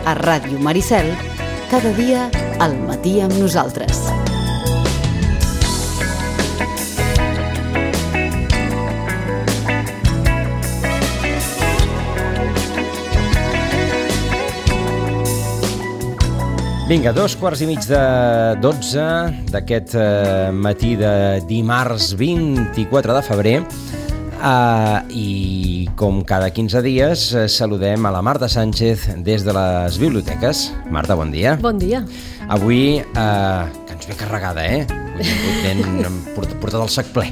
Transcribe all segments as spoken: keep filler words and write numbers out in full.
a Ràdio Maricel, cada dia al matí amb nosaltres. Vinga, dos quarts i mig de dotze d'aquest eh, matí de dimarts vint-i-quatre de febrer eh, i com cada quinze dies eh, saludem a la Marta Sánchez des de les biblioteques. Marta, bon dia. Bon dia. Avui, eh, que ens ve carregada, eh? Ben portat el sac ple.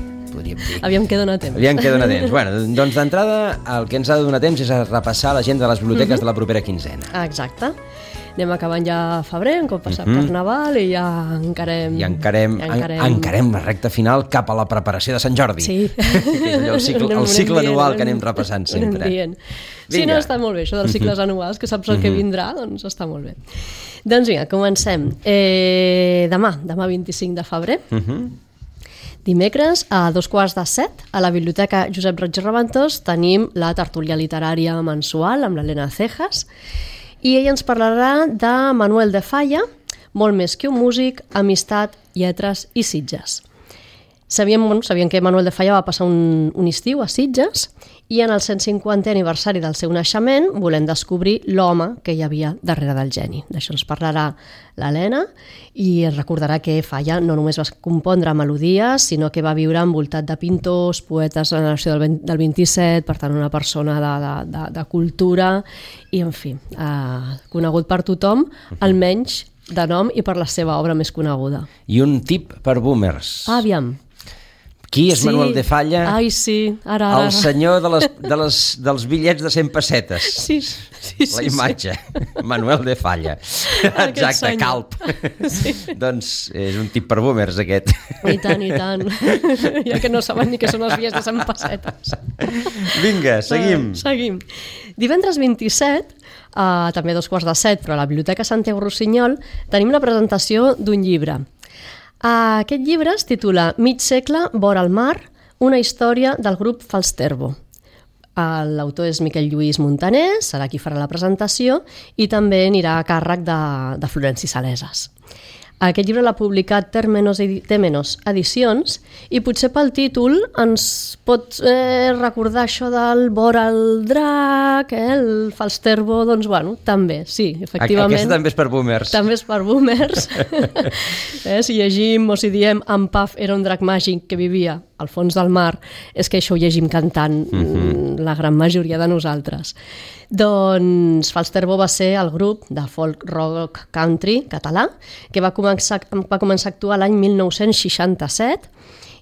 Aviam què dona temps. Aviam què dona temps. Bueno, doncs d'entrada el que ens ha de donar temps és a repassar l'agenda de les biblioteques mm-hmm. de la propera quinzena. Exacte. Anem acabant ja febrer, un cop passat mm-hmm. Carnaval i ja encarem... I encarem, ja encarem... En, encarem la recta final cap a la preparació de Sant Jordi. Sí. Que és allò, el cicle, el cicle anem anual dient, que anem repassant sempre. Sí, no, està molt bé, això dels cicles mm-hmm. anuals, que saps el que vindrà, doncs està molt bé. Doncs vinga, comencem. Eh, demà, demà vint-i-cinc de febrer, mm-hmm. dimecres, a dos quarts de set, a la Biblioteca Josep Roig i Raventós, tenim la tertúlia literària mensual amb l'Helena Cejas, i ella ens parlarà de Manuel de Falla, Molt més que un músic, Amistat, lletres i Sitges. Sabíem, bueno, sabíem que Manuel de Falla va passar un, un estiu a Sitges i en el cent cinquantè aniversari del seu naixement volem descobrir l'home que hi havia darrere del geni. D'això ens parlarà l'Helena i ens recordarà que Falla no només va compondre melodies, sinó que va viure envoltat de pintors, poetes de la generació del, del vint-i-set, per tant una persona de, de, de, de cultura i, en fi, eh, conegut per tothom, almenys de nom i per la seva obra més coneguda. I un tip per boomers. Ah, aviam. Qui és sí. Manuel de Falla? Ai, sí, ara, ara. El senyor de les, de les, dels bitllets de cent pessetes. Sí, sí, sí. La imatge. Sí, sí. Manuel de Falla. Exacte, calp. Sí. Doncs és un tip per boomers, aquest. I tant, i tant. Ja que no saben ni què són els bitllets de cent pessetes. Vinga, seguim. Uh, seguim. Divendres vint-i-set, uh, també a dos quarts de set, però a la Biblioteca Santiago Rossinyol, tenim la presentació d'un llibre. Aquest llibre es titula Mig segle vora el mar, una història del grup Falsterbo. L'autor és Miquel Lluís Montaner, serà qui farà la presentació, i també anirà a càrrec de, de Florenci Saleses. Aquest llibre l'ha publicat Termenos, Temenos Edicions i potser pel títol ens pot eh, recordar això del vora el drac, eh, el Falsterbo, doncs bueno, també, sí, efectivament. Aquesta també és per boomers. També és per boomers. eh, si llegim o si diem en Paf era un drac màgic que vivia al fons del mar, és que això ho llegim cantant mm-hmm. la gran majoria de nosaltres. Doncs Falsterbo va ser el grup de folk rock country català que va començar, va començar a actuar l'any mil nou-cents seixanta-set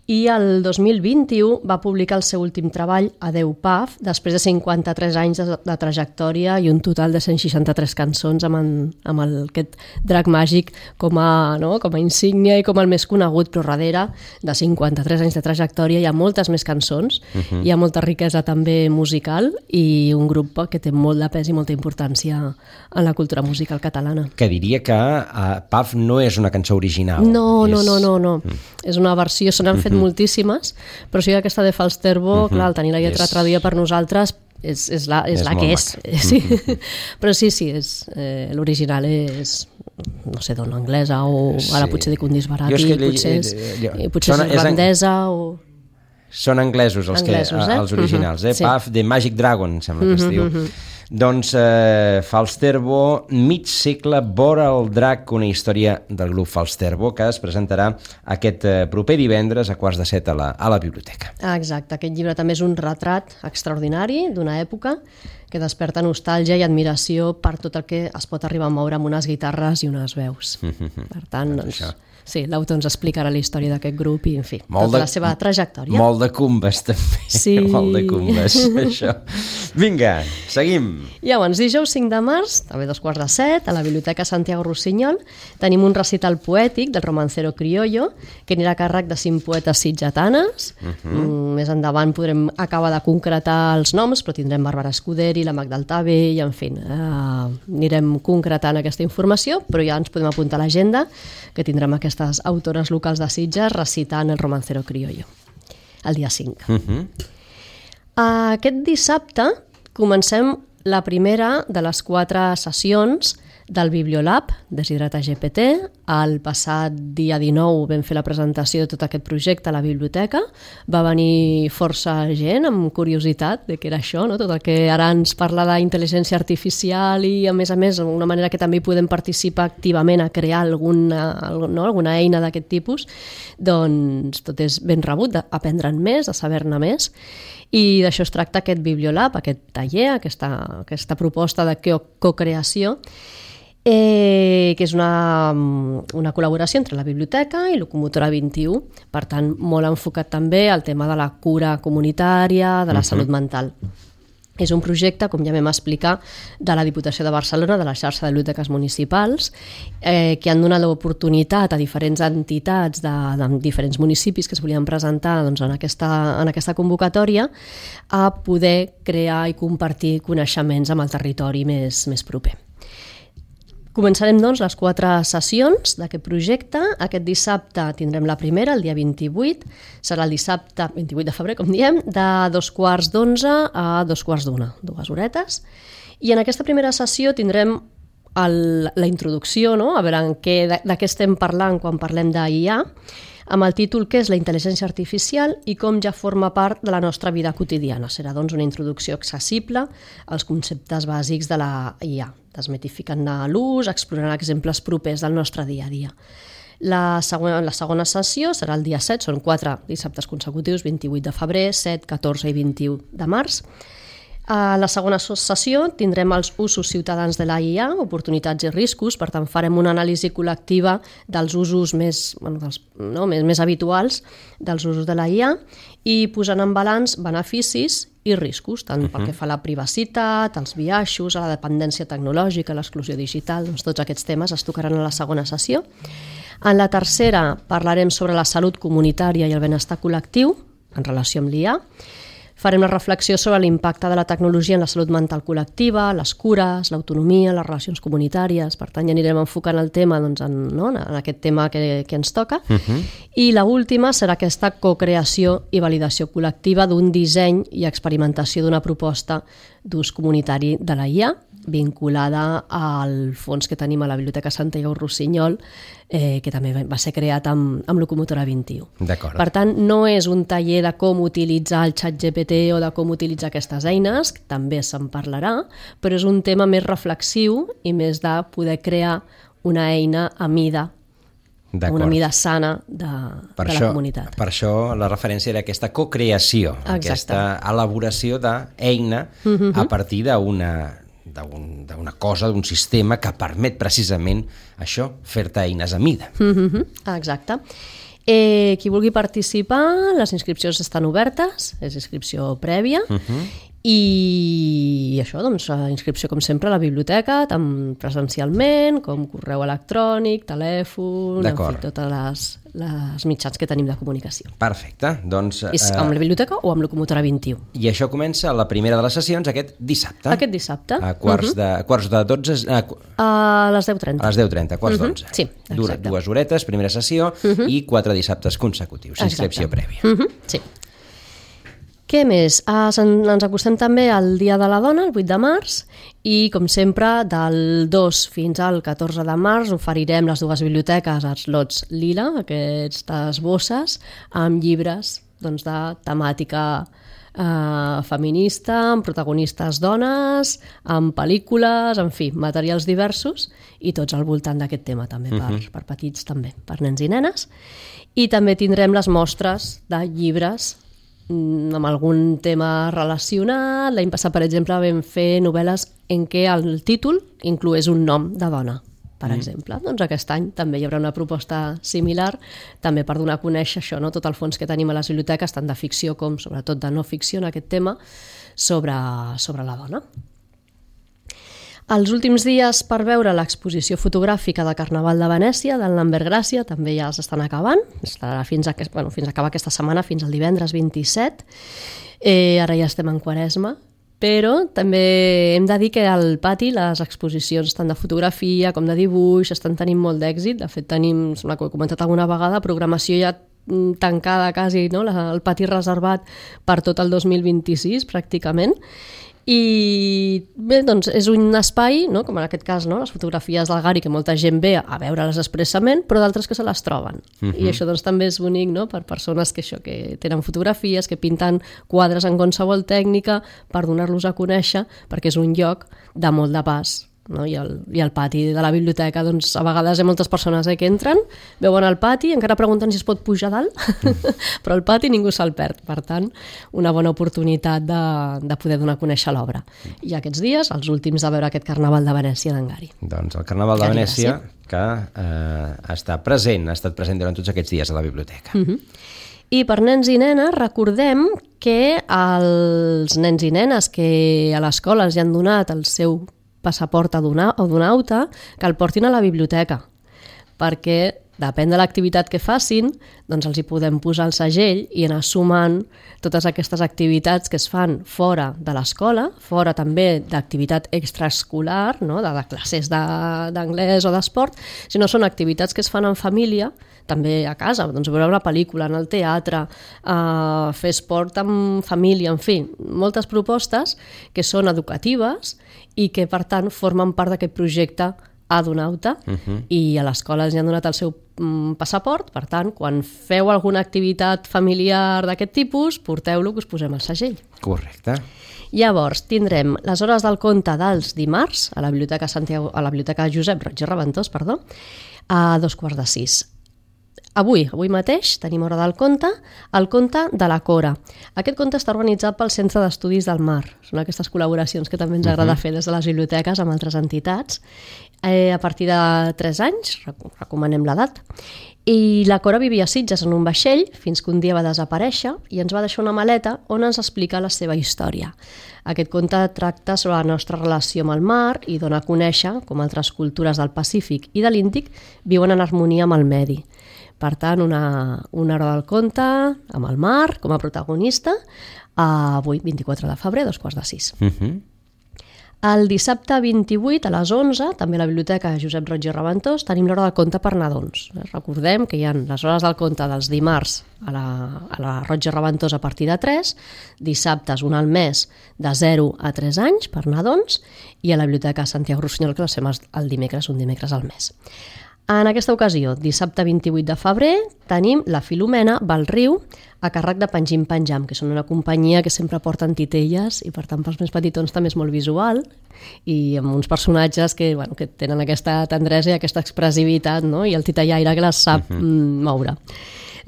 i el dos mil vint-i-u va publicar el seu últim treball, Adeu Paf, després de cinquanta-tres anys de, de trajectòria i un total de cent seixanta-tres cançons amb, en, amb el, aquest drac màgic com a, no, com a insígnia i com el més conegut, però darrere de cinquanta-tres anys de trajectòria hi ha moltes més cançons, uh-huh. hi ha molta riquesa també musical i un grup que té molt de pes i molta importància en la cultura musical catalana. Que diria que uh, Paf no és una cançó original. No, és... no, no, no, no. Mm. És una versió, se n'han fet uh-huh. moltíssimes, però sí que aquesta de Falsterbo, uh-huh. clar, el tenir la lletra és... traduïda per nosaltres és, és la, és és la que és. Sí. Uh-huh. Però sí, sí, és, eh, l'original és, no sé, d'on anglesa o sí. ara potser dic un disbarat i potser és, i potser és irlandesa en... o... Són anglesos els, anglesos, que, eh? els originals, uh-huh. eh? Sí. Paf, The Magic Dragon, sembla que es diu. Uh-huh. Doncs eh, Falsterbo, mig segle vora el drac, una història del grup Falsterbo que es presentarà aquest eh, proper divendres a quarts de set a la, a la biblioteca. Exacte, aquest llibre també és un retrat extraordinari d'una època que desperta nostàlgia i admiració per tot el que es pot arribar a moure amb unes guitarres i unes veus. Mm-hmm. Per tant, doncs, doncs sí, l'autor ens explicarà la història d'aquest grup i, en fi, molt tota de, la seva trajectòria. Molt de cumbes, també. Sí. Molt de cumbes, això. Vinga, seguim. Llavors, dijous cinc de març, també dos quarts de set, a la Biblioteca Santiago Rossinyol, tenim un recital poètic del romancero criollo, que anirà a càrrec de cinc poetes sitgetanes. Uh-huh. Mm, més endavant podrem acabar de concretar els noms, però tindrem Bàrbara Escuderi, la Magda Altave, i, en fi, eh, anirem concretant aquesta informació, però ja ens podem apuntar a l'agenda, que tindrem aquesta aquestes autores locals de Sitges recitant el romancero criollo el dia cinc. Uh-huh. Aquest dissabte comencem la primera de les quatre sessions del Bibliolab, Deshidrata G P T. El passat dia dinou vam fer la presentació de tot aquest projecte a la biblioteca. Va venir força gent amb curiositat de què era això, no? Tot el que ara ens parla d'intel·ligència artificial i, a més a més, una manera que també podem participar activament a crear alguna, no? alguna eina d'aquest tipus, doncs tot és ben rebut, d'aprendre'n més, de saber-ne més. I d'això es tracta aquest Bibliolab, aquest taller, aquesta, aquesta proposta de co-creació, Eh, que és una, una col·laboració entre la biblioteca i Locomotora vint-i-u, per tant, molt enfocat també al tema de la cura comunitària, de la uh-huh. salut mental. És un projecte, com ja vam explicar, de la Diputació de Barcelona, de la xarxa de biblioteques municipals, eh, que han donat l'oportunitat a diferents entitats de, de diferents municipis que es volien presentar doncs, en, aquesta, en aquesta convocatòria a poder crear i compartir coneixements amb el territori més, més proper. Començarem, doncs, les quatre sessions d'aquest projecte. Aquest dissabte tindrem la primera, el dia vint-i-vuit. Serà el dissabte vint-i-vuit de febrer, com diem, de dos quarts d'onze a dos quarts d'una, dues horetes. I en aquesta primera sessió tindrem el, la introducció, no? A veure en què, de, de què estem parlant quan parlem d'I A, amb el títol què és la intel·ligència artificial i com ja forma part de la nostra vida quotidiana. Serà, doncs, una introducció accessible als conceptes bàsics de la I A, desmitificant-ne l'ús, explorant exemples propers del nostre dia a dia. La segona, la segona sessió serà el dia set, són quatre dissabtes consecutius, vint-i-vuit de febrer, set, catorze i vint-i-u de març. A la segona sessió tindrem els usos ciutadans de la I A, oportunitats i riscos, per tant farem una anàlisi col·lectiva dels usos més, bueno, dels, no, més, més habituals dels usos de la I A i posant en balanç beneficis i riscos, tant uh-huh. pel que fa a la privacitat, als biaixos, a la dependència tecnològica, a l'exclusió digital, doncs tots aquests temes es tocaran a la segona sessió. En la tercera parlarem sobre la salut comunitària i el benestar col·lectiu en relació amb l'I A. Farem una reflexió sobre l'impacte de la tecnologia en la salut mental col·lectiva, les cures, l'autonomia, les relacions comunitàries. Per tant, ja anirem enfocant el tema doncs, en, no? en aquest tema que, que ens toca. Uh-huh. I l'última serà aquesta co-creació i validació col·lectiva d'un disseny i experimentació d'una proposta d'ús comunitari de la I A, vinculada al fons que tenim a la Biblioteca Santiago Rossinyol, eh, que també va ser creat amb, amb Locomotora vint-i-u. D'acord. Per tant, no és un taller de com utilitzar el xat G P T o de com utilitzar aquestes eines, que també se'n parlarà, però és un tema més reflexiu i més de poder crear una eina a mida, una mida sana de, per de això, la comunitat. Per això la referència era aquesta co-creació, Exacte. Aquesta elaboració d'eina uh-huh. a partir d'una d'una cosa, d'un sistema que permet precisament això, fer-te eines a mida. Uh-huh. Exacte. Eh, qui vulgui participar, les inscripcions estan obertes, és inscripció prèvia, uh-huh. i això, doncs, inscripció com sempre a la biblioteca, tant presencialment com correu electrònic, telèfon, en fi, totes les, les mitjans que tenim de comunicació. Perfecte. Doncs, és amb la biblioteca o amb Locomotora vint-i-u. I això comença la primera de les sessions aquest dissabte. Aquest dissabte. A quarts, uh-huh. de, quarts de dotze... A, a les deu trenta. A les deu trenta, quarts uh-huh. d'onze. Sí, exacte. Dura dues horetes, primera sessió, uh-huh. i quatre dissabtes consecutius, inscripció prèvia. Uh-huh. Sí. Què més? Ah, ens acostem també al Dia de la Dona, el vuit de març, i, com sempre, del dos fins al catorze de març oferirem les dues biblioteques als lots lila, aquestes bosses, amb llibres doncs, de temàtica eh, feminista, amb protagonistes dones, amb pel·lícules, en fi, materials diversos, i tots al voltant d'aquest tema també, per, uh-huh. per petits també, per nens i nenes. I també tindrem les mostres de llibres amb algun tema relacionat. L'any passat, per exemple, vam fer novel·les en què el títol incloés un nom de dona, per mm. exemple. Doncs aquest any també hi haurà una proposta similar, també per donar a conèixer això, no? Tot el fons que tenim a les biblioteques, tant de ficció com sobretot de no ficció en aquest tema, sobre, sobre la dona. Els últims dies per veure l'exposició fotogràfica de Carnaval de Venècia, del Lambert Gràcia, també ja s'estan acabant, estarà fins a, bueno, fins a acabar aquesta setmana, fins al divendres vint-i-set. Eh, ara ja estem en Quaresma, però també hem de dir que al pati les exposicions tant de fotografia com de dibuix estan tenint molt d'èxit. De fet, tenim, sembla que ho he comentat alguna vegada, programació ja tancada quasi, no? El pati reservat per tot el dos mil vint-i-sis, pràcticament. I bé, doncs és un espai, no? Com en aquest cas, no? Les fotografies del Gari, que molta gent ve a veure-les expressament, però d'altres que se les troben. Uh-huh. I això doncs també és bonic, no? Per persones que això que tenen fotografies, que pinten quadres en qualsevol tècnica per donar-los a conèixer, perquè és un lloc de molt de pas. No? I, el, i el pati de la biblioteca, doncs a vegades hi ha moltes persones eh, que entren, veuen el pati, encara pregunten si es pot pujar dalt, mm. però el pati ningú se'l perd, per tant una bona oportunitat de, de poder donar a conèixer l'obra. I aquests dies, els últims de veure aquest Carnaval de Venècia d'en Gari. Doncs el Carnaval de Venècia que eh, està present, ha estat present durant tots aquests dies a la biblioteca. Mm-hmm. I per nens i nenes recordem que els nens i nenes que a l'escola els han donat el seu passaport o d'un auta, que el portin a la biblioteca, perquè depèn de l'activitat que facin, doncs els hi podem posar el segell i anar sumant totes aquestes activitats que es fan fora de l'escola, fora també d'activitat extraescolar, no? de, de classes d'anglès o d'esport, sinó són activitats que es fan en família, també a casa, doncs veure una pel·lícula, en el teatre, eh, fer esport amb família, en fi, moltes propostes que són educatives i que, per tant, formen part d'aquest projecte Adonauta, uh-huh. i a l'escola els han donat el seu mm, passaport, per tant, quan feu alguna activitat familiar d'aquest tipus, porteu-lo que us posem el segell. Correcte. Llavors, tindrem les hores del conte dels dimarts a la Biblioteca Santiago, a la Biblioteca Josep Roig i Reventós, perdó, a dos quarts de sis. Avui, avui mateix, tenim hora del conte, el conte de la Cora. Aquest conte està organitzat pel Centre d'Estudis del Mar. Són aquestes col·laboracions que també ens agrada uh-huh. fer des de les biblioteques amb altres entitats. Eh, a partir de tres anys, recomanem l'edat. I la Cora vivia a Sitges en un vaixell fins que un dia va desaparèixer i ens va deixar una maleta on ens explica la seva història. Aquest conte tracta sobre la nostra relació amb el mar i dona a conèixer com altres cultures del Pacífic i de l'Índic viuen en harmonia amb el medi. Per tant, una, una hora del conte amb el mar com a protagonista, avui, vint-i-quatre de febrer, dos quarts de sis. Uh-huh. El dissabte vint-i-vuit a les onze, també a la Biblioteca Josep Roig i Reventós, tenim l'hora del conte per nadons. Recordem que hi ha les hores del conte dels dimarts a la, a la Roig i Reventós a partir de tres, dissabtes un al mes de zero a tres anys per nadons, i a la Biblioteca Santiago Rossinyol, que les fem el dimecres, un dimecres al mes. En aquesta ocasió, dissabte vint-i-vuit de febrer, tenim la Filomena Val Riu a càrrec de Pengim Penjam, que són una companyia que sempre porten titelles i per tant pels més petitons també és molt visual i amb uns personatges que, bueno, que tenen aquesta tendresa i aquesta expressivitat, no? I el titellaire que les sap uh-huh. moure.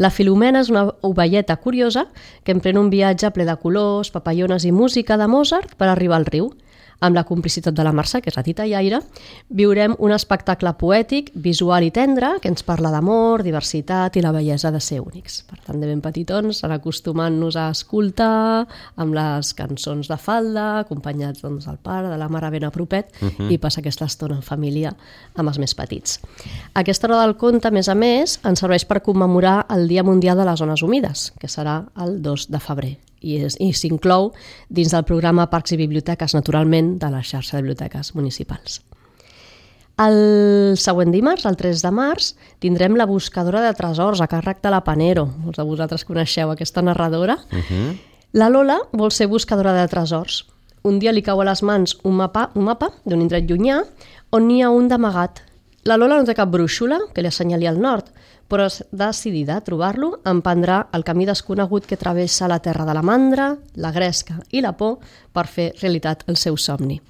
La Filomena és una ovelleta curiosa que emprèn un viatge ple de colors, papallones i música de Mozart per arribar al riu. Amb la complicitat de la Mercè, que és la titellaire, viurem un espectacle poètic, visual i tendre, que ens parla d'amor, diversitat i la bellesa de ser únics. Per tant, de ben petitons, anar acostumant-nos a escoltar amb les cançons de falda, acompanyats doncs, del pare, de la mare ben a propet, uh-huh. i passar aquesta estona en família amb els més petits. Aquesta hora del conte, a més a més, ens serveix per commemorar el Dia Mundial de les Zones Humides, que serà el dos de febrer. I, és, i s'inclou dins del programa Parcs i Biblioteques, naturalment, de la xarxa de biblioteques municipals. El següent dimarts, el tres de març, tindrem la buscadora de tresors a càrrec de la Panero. Molts de vosaltres coneixeu aquesta narradora. Uh-huh. La Lola vol ser buscadora de tresors. Un dia li cau a les mans un mapa, un mapa d'un indret llunyà on n'hi ha un d'amagat. La Lola no té cap brúixola que li assenyali al nord, però decidida a trobar-lo, emprendrà el camí desconegut que travessa la terra de la mandra, la gresca i la por per fer realitat el seu somni.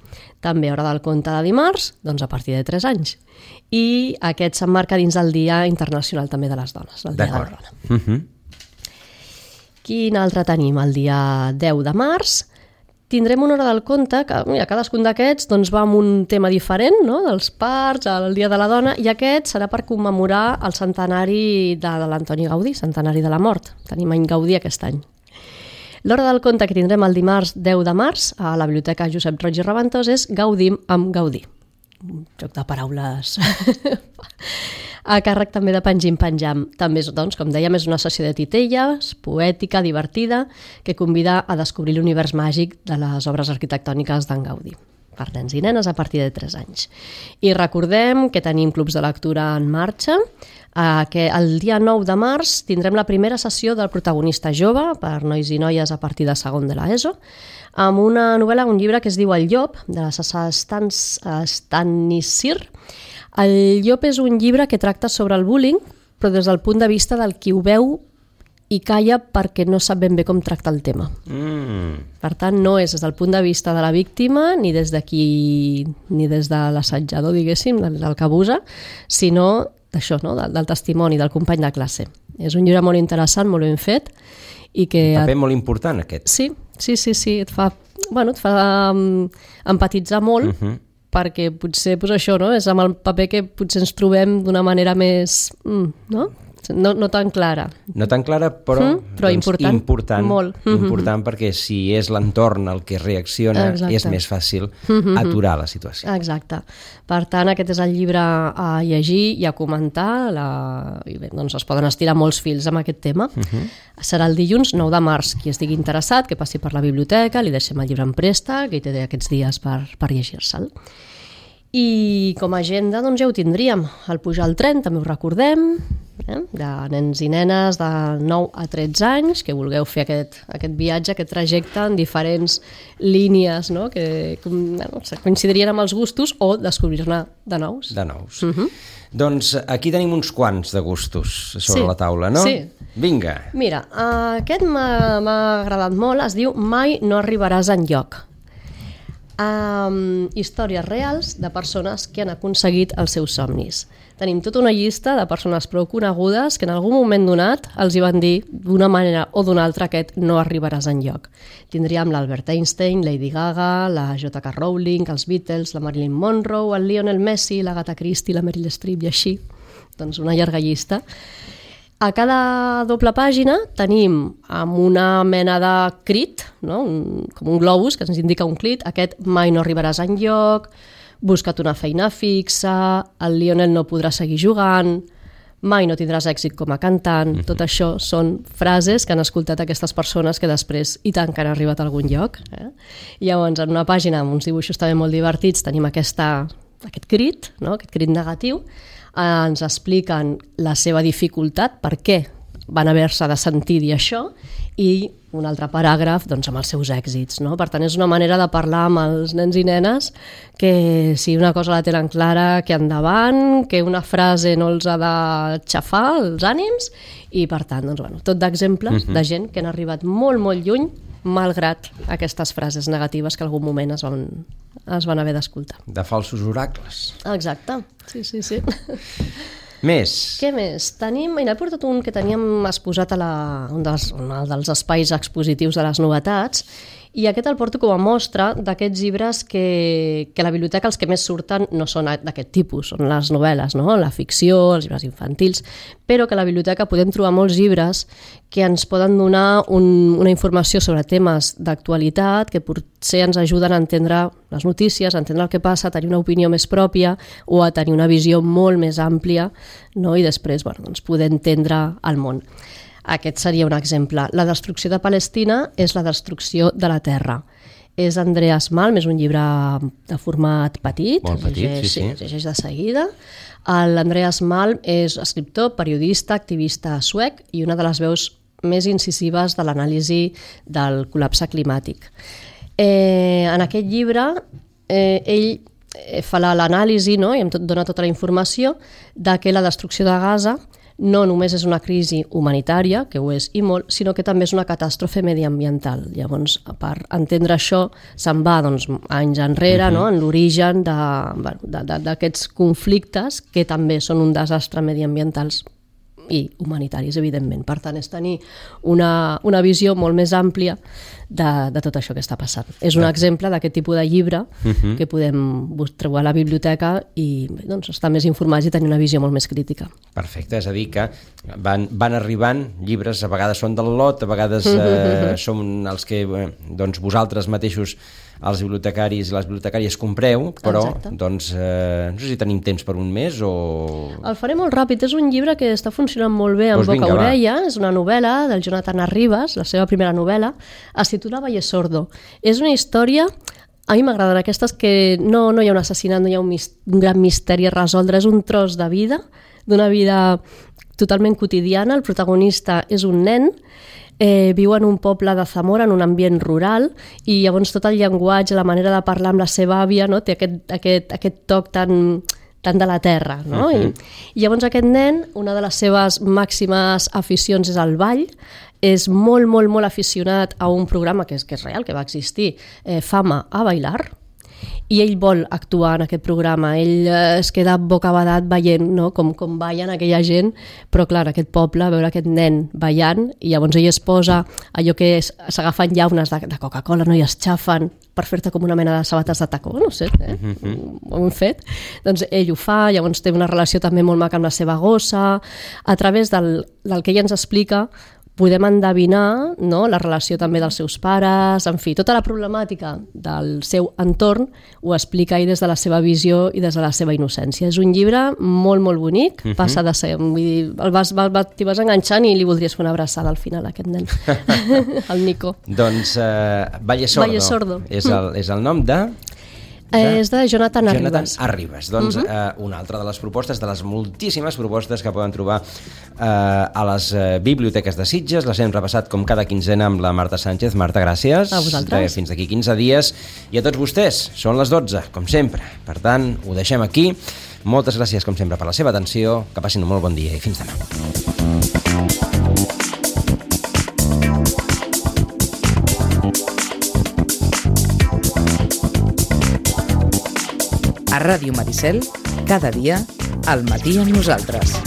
També hora del conte de dimarts, doncs a partir de tres anys. I aquest s'emmarca dins del Dia Internacional també de les Dones, el Dia de la Dona. Uh-huh. Quin altre tenim? El dia deu de març tindrem una hora del conte que mira, cadascun d'aquests doncs, va amb un tema diferent, no? Dels parts, el Dia de la Dona, i aquest serà per commemorar el centenari de, de l'Antoni Gaudí, centenari de la mort. Tenim any Gaudí aquest any. L'hora del conte que tindrem el dimarts deu de març a la Biblioteca Josep Roig i Reventós és Gaudim amb Gaudí. Un joc de paraules a càrrec també de Pengim Penjam. També, doncs, com dèiem, és una sessió de titelles, poètica, divertida, que convida a descobrir l'univers màgic de les obres arquitectòniques d'en Gaudí. per nens i nenes a partir de tres anys. I recordem que tenim clubs de lectura en marxa, eh, que el dia nou de març tindrem la primera sessió del protagonista jove per nois i noies a partir de segon de l'ESO, amb una novel·la, un llibre que es diu El llop, de la Sasa Stanisir. El llop és un llibre que tracta sobre el bullying, però des del punt de vista del qui ho veu i calla perquè no sap ben bé com tractar el tema. Mm. Per tant, no és des del punt de vista de la víctima, ni des de qui, ni des de l'assetjador, diguéssim, del, del que abusa, sinó d'això, no? del, del testimoni, del company de classe. És un llibre molt interessant, molt ben fet, i que... Un paper molt important, aquest. Sí, sí, sí, sí. Et fa, bueno, et fa um, empatitzar molt, uh-huh. perquè potser pues, això, no? És amb el paper que potser ens trobem d'una manera més... Mm, no? No, no tan clara. No tan clara, però, mm, però doncs, important, important, molt. important perquè si és l'entorn el que reacciona, exacte. És més fàcil aturar la situació. Exacte. Per tant, aquest és el llibre a llegir i a comentar. La... I bé, doncs es poden estirar molts fils amb aquest tema. Uh-huh. Serà el dilluns nou de març. Qui estigui interessat, que passi per la biblioteca, li deixem el llibre en préstec, que hi té aquests dies per, per llegir-se'l. I com a agenda doncs ja ho tindríem. El pujar al tren també ho recordem, eh? De nens i nenes de nou a tretze anys que vulgueu fer aquest, aquest viatge, aquest trajecte en diferents línies, no? Que bueno, coincidirien amb els gustos o descobrir-ne de nous. De nous. Uh-huh. Doncs aquí tenim uns quants de gustos sobre sí. la taula, no? Sí. Vinga. Mira, aquest m'ha, m'ha agradat molt, es diu Mai no arribaràs enlloc. Um, històries reals de persones que han aconseguit els seus somnis. Tenim tota una llista de persones prou conegudes que en algun moment donat els hi van dir d'una manera o d'una altra aquest no arribaràs enlloc. Tindríem l'Albert Einstein, Lady Gaga, la J K Rowling, els Beatles, la Marilyn Monroe, el Lionel Messi, la Agatha Christie, la Meryl Streep i així. Doncs una llarga llista. A cada doble pàgina tenim amb una mena de crit, no? un, com un globus que ens indica un crit, aquest mai no arribaràs enlloc, busca't una feina fixa, el Lionel no podrà seguir jugant, mai no tindràs èxit com a cantant. Mm-hmm. Tot això són frases que han escoltat aquestes persones que després i tant que han arribat a algun lloc. Eh? I llavors en una pàgina amb uns dibuixos també molt divertits tenim aquesta, aquest crit, no? Aquest crit negatiu, ens expliquen la seva dificultat, per què van haver-se de sentir dir això, i un altre paràgraf doncs, amb els seus èxits. No? Per tant, és una manera de parlar amb els nens i nenes que si una cosa la tenen clara, que endavant, que una frase no els ha de xafar els ànims, i per tant, doncs, bueno, tot d'exemples uh-huh. de gent que han arribat molt, molt lluny, malgrat aquestes frases negatives que en algun moment es van, es van haver d'escoltar. De falsos oracles. Exacte, sí, sí, sí. Més. Què més? Tenim, mira, he portat un que teníem exposat a la, un, dels, un dels espais expositius de les novetats, i aquest el porto com a mostra d'aquests llibres que, que a la biblioteca els que més surten no són d'aquest tipus, són les novel·les, no? La ficció, els llibres infantils, però que a la biblioteca podem trobar molts llibres que ens poden donar un, una informació sobre temes d'actualitat que potser ens ajuden a entendre les notícies, a entendre el que passa, a tenir una opinió més pròpia o a tenir una visió molt més àmplia, no? I després bueno, doncs poder entendre el món. Aquest seria un exemple. La destrucció de Palestina és la destrucció de la terra. És Andreas Malm, és un llibre de format petit, molt petit, llegeix, sí, sí. llegeix de seguida. L'Andreas Malm és escriptor, periodista, activista suec i una de les veus més incisives de l'anàlisi del col·lapse climàtic. Eh, en aquest llibre, eh, ell fa l'anàlisi, no? I em tot, dona tota la informació de que la destrucció de Gaza no només és una crisi humanitària, que ho és i molt, sinó que també és una catàstrofe mediambiental. Llavors, per entendre això, se'n va doncs, anys enrere, uh-huh. no? En l'origen d'aquests conflictes que també són un desastre mediambientals i humanitaris, evidentment. Per tant, és tenir una, una visió molt més àmplia de, de tot això que està passant. És un exemple d'aquest tipus de llibre uh-huh. que podem trobar a la biblioteca i doncs, estar més informats i tenir una visió molt més crítica. Perfecte, és a dir que van, van arribant llibres, a vegades són del lot, a vegades eh, són els que eh, doncs, vosaltres mateixos els bibliotecaris i les bibliotecàries compreu, però doncs, eh, no sé si tenim temps per un mes o... El faré molt ràpid, és un llibre que està funcionant molt bé en doncs boca vinga, orella, va. És una novel·la del Jonathan Arribas, la seva primera novel·la, es titula Valle Sordo. És una història A mi m'agraden aquestes que no, no hi ha un assassinat, no hi ha un, mis, un gran misteri a resoldre, és un tros de vida, d'una vida totalment quotidiana. El protagonista és un nen, eh, viu en un poble de Zamora, en un ambient rural, i llavors tot el llenguatge, la manera de parlar amb la seva àvia, no? Té aquest, aquest, aquest toc tan, tan de la terra. No? Uh-huh. I, I llavors aquest nen, una de les seves màximes aficions és el ball, és molt, molt, molt aficionat a un programa que és, que és real, que va existir, eh, Fama a bailar, i ell vol actuar en aquest programa. Ell eh, es queda bocabadat veient, no? com, com ballen aquella gent, però clar, aquest poble, veure aquest nen ballant, i llavors ell es posa allò que és, s'agafen llaunes de, de Coca-Cola, no? I es xafen per fer-te com una mena de sabates de tacó, no sé, eh? Uh-huh. Ho hem fet. Doncs ell ho fa, llavors té una relació també molt maca amb la seva gossa. A través del, del que ella ens explica, podem endevinar, no? La relació també dels seus pares, en fi, tota la problemàtica del seu entorn ho explica ell des de la seva visió i des de la seva innocència. És un llibre molt, molt bonic, uh-huh. passa de ser, vull dir, el vas, vas, t'hi vas enganxant i li voldries fer una abraçada al final a aquest nen, el Nico. Doncs uh, Valle Sordo, Valle Sordo. És, el, és el nom de... De... És de Jonathan Arribas. Jonathan Arribas. Doncs uh -huh. eh, una altra de les propostes, de les moltíssimes propostes que poden trobar eh, a les eh, biblioteques de Sitges. Les hem repassat com cada quinzena amb la Marta Sánchez. Marta, gràcies. A vosaltres. Fins d'aquí quinze dies. I a tots vostès, són les dotze, com sempre. Per tant, ho deixem aquí. Moltes gràcies, com sempre, per la seva atenció. Que passin un molt bon dia i fins demà. A Ràdio Maricel, cada dia, al matí amb nosaltres.